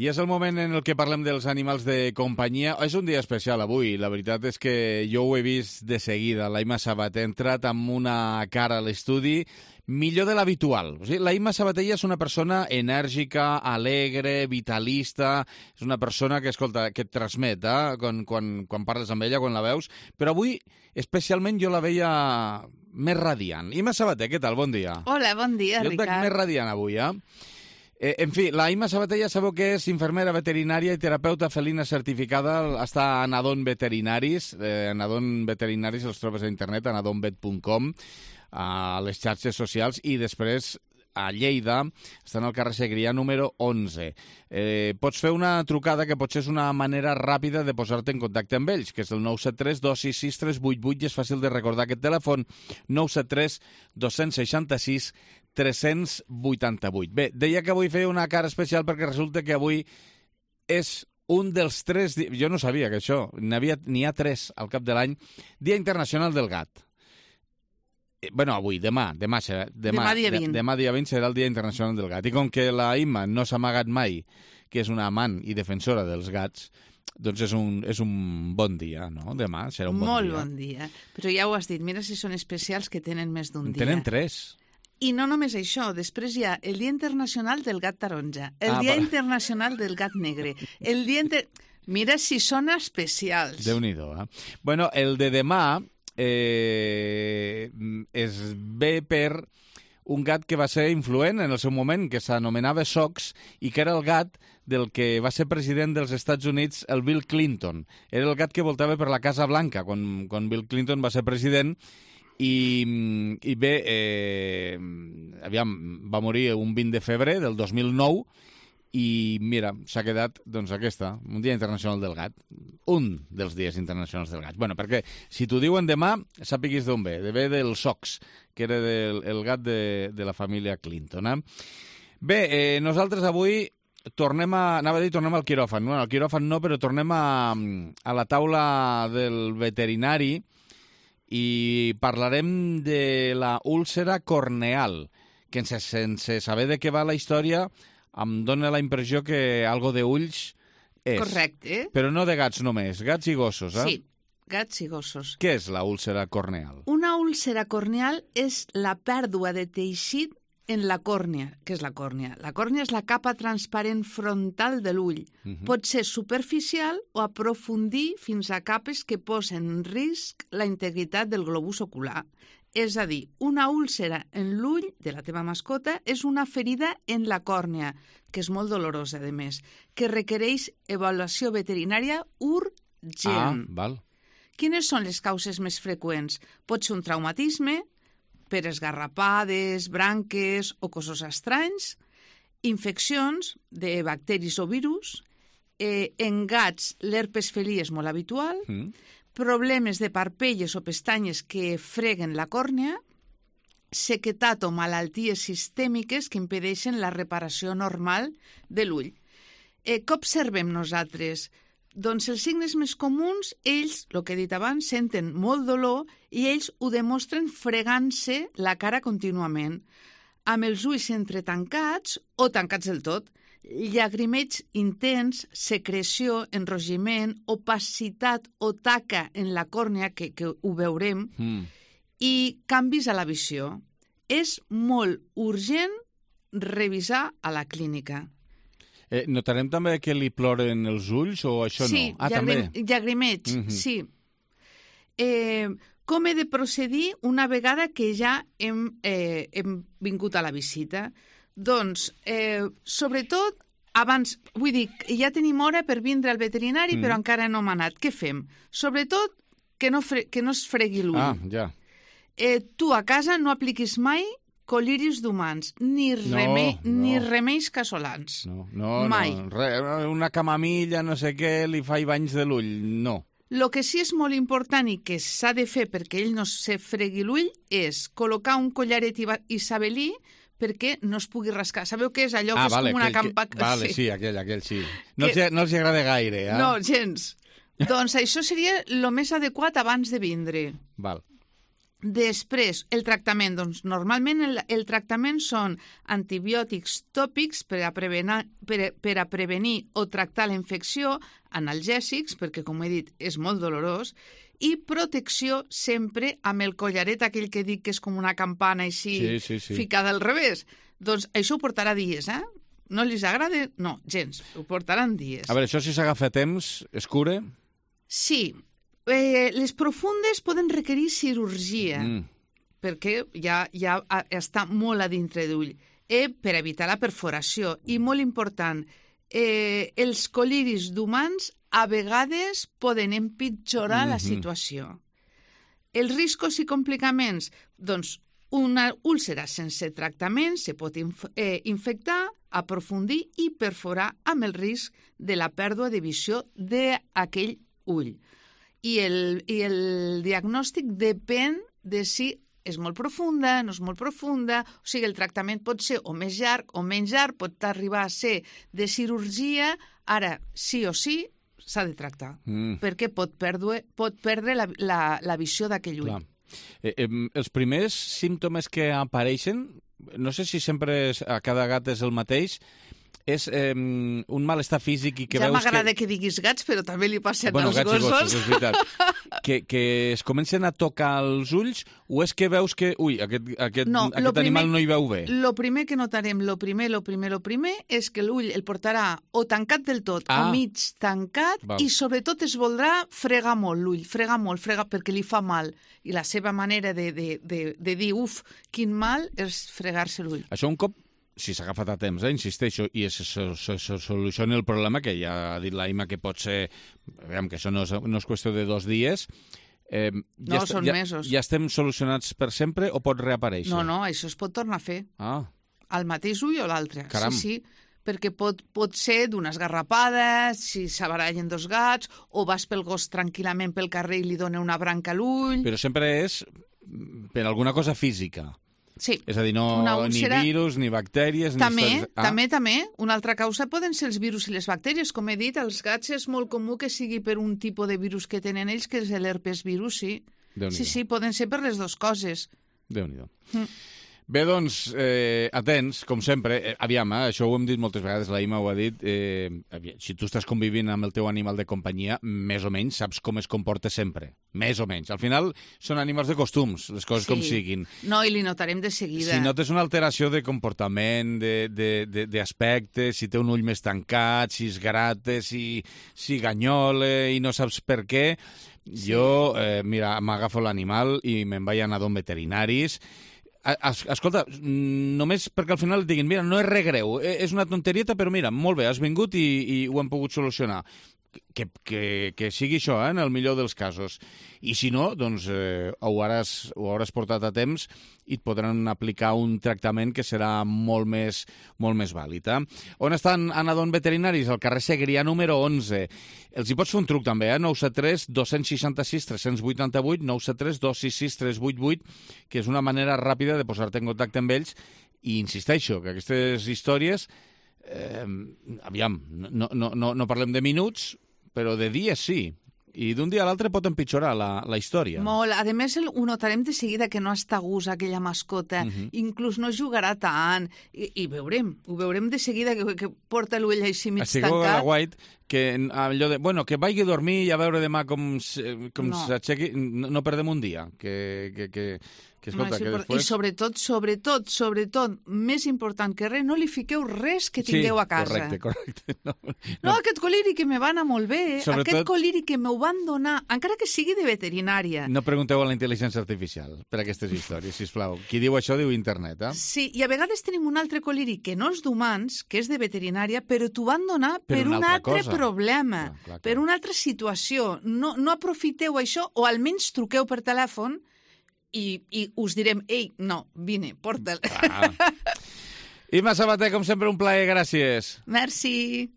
I és el moment en el que parlem dels animals de companyia. És un dia especial avui. La veritat és que jo ho he vist de seguida. La Imma Sabater ha entrat amb una cara a l'estudi millor de l'habitual. O sigui, la Imma Sabater és una persona enèrgica, alegre, vitalista. És una persona que, escolta, que et transmet quan parles amb ella, quan la veus. Però avui, especialment, jo la veia més radiant. Imma Sabater, què tal? Bon dia. Hola, bon dia, Ricard. Jo et veig més radiant avui, en fi, la Imma Sabater ja sabeu que és infermera veterinària i terapeuta felina certificada. Està a Anadon Veterinaris. Anadon Veterinaris els trobes a internet, anadonvet.com, a les xarxes socials, i després a Lleida, estan al carrer Segrià número 11. Pots fer una trucada que potser és una manera ràpida de posar-te en contacte amb ells, que és el 973 266 388, i és fàcil de recordar aquest telèfon, 973 266 388. Bé, deia que avui feia una cara especial perquè resulta que avui és un dels 3... Jo no sabia que això, n'hi ha 3 al cap de l'any. Dia Internacional del Gat. Bueno, avui, demà dia 20. Demà dia 20 serà el Dia Internacional del Gat. I com que la Imma no s'ha amagat mai que és una amant i defensora dels gats, doncs és un bon dia, no? Demà serà un bon dia. Molt bon dia. Però ja ho has dit, mira si són especials que tenen més d'un dia. Tenen 3. I no només això, després hi ha el Dia Internacional del Gat Taronja, el Dia Internacional del Gat Negre, el Dia... Mira si són especials. Déu-n'hi-do, Bueno, el de demà es ve per un gat que va ser influent en el seu moment, que s'anomenava Sox, i que era el gat del que va ser president dels Estats Units, el Bill Clinton. Era el gat que voltava per la Casa Blanca quan Bill Clinton va ser president. I bé, va morir un 20 de febrer del 2009 i mira, s'ha quedat doncs aquesta, un Dia Internacional del Gat, un dels Dies Internacionals del Gat. Bueno, perquè si t'ho diuen demà, sàpiguis d'on ve, ve del Sox, que era el gat de la família Clinton. Bé, nosaltres avui tornem al quiròfan. Bueno, al quiròfan no, però tornem a la taula del veterinari, i parlarem de la úlcera corneal, que sense saber de què va la història em dóna la impressió que algo d'ulls és. Correcte. Però no de gats només, gats i gossos, Sí, gats i gossos. Què és la úlcera corneal? Una úlcera corneal és la pèrdua de teixit en la còrnia. Què és la còrnia? La còrnia és la capa transparent frontal de l'ull. Pot ser superficial o aprofundir fins a capes que posen en risc la integritat del globus ocular. És a dir, una úlcera en l'ull de la teva mascota és una ferida en la còrnia, que és molt dolorosa, a més, que requereix avaluació veterinària urgent. Val. Quines són les causes més freqüents? Pot ser un traumatisme, per esgarrapades, branques o cossos estranys, infeccions de bacteris o virus, en gats l'herpes felí és molt habitual, problemes de parpelles o pestanyes que freguen la còrnia, sequetat o malalties sistèmiques que impedeixen la reparació normal de l'ull. Què observem nosaltres? Doncs els signes més comuns, ells, el que he dit abans, senten molt dolor i ells ho demostren fregant-se la cara contínuament, amb els ulls entretancats o tancats del tot, llagrimeig intens, secreció, enrogiment, opacitat o taca en la còrnia, que ho veurem, i canvis a la visió. És molt urgent revisar a la clínica. Notarem també que li ploren els ulls o això no? Sí, llagrimeig, sí. Com he de procedir una vegada que ja hem vingut a la visita? Doncs, sobretot, abans, vull dir, ja tenim hora per vindre al veterinari, però encara no hem anat. Què fem? Sobretot, que no es fregui l'ull. Ja. Tu a casa no apliquis mai coliris d'humans, ni remeis casolans. No, mai. Una camamilla, no sé què, li fa banys de l'ull, no. El que sí és molt important i que s'ha de fer perquè ell no se fregui l'ull és col·locar un collaret isabelí perquè no es pugui rascar. Sabeu què és allò que és com una campa... Vale, sí, aquell sí. No els agrada gaire, eh? No, gens. Doncs això seria el més adequat abans de vindre. Val. Després, el tractament. Doncs normalment el tractament són antibiòtics tòpics per a prevenir o tractar la infecció, analgèsics, perquè, com he dit, és molt dolorós, i protecció sempre amb el collaret, aquell que dic que és com una campana així Sí. ficada al revés. Doncs això ho portarà dies, eh? No li agrada? No, gens. Ho portaran dies. A veure, això si s'agafa a temps, es cura? Sí. Les profundes poden requerir cirurgia, perquè ja està molt a dintre d'ull, per evitar la perforació. I molt important, els coliris d'humans a vegades poden empitjorar la situació. Els riscos i complicaments, doncs, una úlcera sense tractament se pot infectar, aprofundir i perforar amb el risc de la pèrdua de visió d'aquell ull. I el diagnòstic depèn de si és molt profunda, no és molt profunda, o sigui, el tractament pot ser o més llarg o menys llarg, pot arribar a ser de cirurgia, ara, sí o sí, s'ha de tractar, perquè pot perdre la visió d'aquell ull. Els primers símptomes que apareixen, no sé si sempre a cada gat és el mateix, és un malestar físic i que ja veus que... Ja m'agrada que diguis gats, però també li passen als gats gossos. I gossos, és veritat. Que es comencen a tocar els ulls o és que veus que, aquest animal no hi veu bé? Lo primer que notarem, lo primer, és que l'ull el portarà o tancat del tot o mig tancat i sobretot es voldrà fregar molt l'ull, fregar perquè li fa mal. I la seva manera de dir, uf, quin mal, és fregar-se l'ull. Això un cop, si s'ha agafat a temps, insisteixo, i se soluciona el problema, que ja ha dit l'Aima que pot ser, veiem que això no és qüestió de 2 dies, són mesos. Ja estem solucionats per sempre o pot reaparèixer? No, això es pot tornar a fer. Al mateix ull o l'altre. Caram. Sí, perquè pot ser d'unes garrapades, si s'abarallen 2 gats, o vas pel gos tranquil·lament pel carrer i li dona una branca a l'ull... Però sempre és per alguna cosa física. Sí. És a dir, ni virus, ni bactèries... També. Una altra causa poden ser els virus i les bactèries. Com he dit, als gats és molt comú que sigui per un tipus de virus que tenen ells, que és l'herpes virus, sí. Sí, poden ser per les 2 coses. Déu-n'hi-do. Bé, doncs, atents, com sempre. Aviam, això ho hem dit moltes vegades, l'Aima ho ha dit. Si tu estàs convivint amb el teu animal de companyia, més o menys saps com es comporta sempre. Més o menys. Al final són animals de costums, les coses com siguin. No, i li notarem de seguida. Si notes una alteració de comportament, d'aspecte, si té un ull més tancat, si es grata, si ganyola i no saps per què, jo, mira, m'agafo l'animal i me'n vaig anar d'on veterinaris. Escolta, només perquè al final et diguin, mira, no és res greu, és una tonterieta, però mira, molt bé, has vingut i ho hem pogut solucionar. Que sigui això, en el millor dels casos. I si no, doncs ho hauràs portat a temps i et podran aplicar un tractament que serà molt més vàlid. On estan Anadon Veterinaris? Al carrer Segrià número 11. Els hi pots fer un truc també, 973 266 388, 973 266 388, que és una manera ràpida de posar-te en contacte amb ells. I insisteixo que aquestes històries... aviam, no parlem de minuts, però de dies sí. I d'un dia a l'altre pot empitjorar la història. Molt. A més, ho notarem de seguida que no està a gust aquella mascota. Inclús no jugarà tant. I ho veurem de seguida que porta l'ull així mig tancat. Estigueu a la White, que allò de... Bueno, que vagi a dormir i a veure demà com s'aixequi. No perdem un dia. Escolta, que després... I sobretot, més important que res, no li fiqueu res que tingueu a casa. Correcte. No, aquest coliri que me va anar molt bé, aquest coliri que m'ho van donar, encara que sigui de veterinària. No pregunteu a la intel·ligència artificial per aquestes històries, sisplau. Qui diu això diu internet, Sí, i a vegades tenim un altre coliri que no és d'humans, que és de veterinària, però t'ho van donar per un altre problema, per una altra situació. No aprofiteu això, o almenys truqueu per telèfon i us direm, ei, no, vine, porta'l. Imma Sabater, com sempre, un plaer, gràcies. Merci.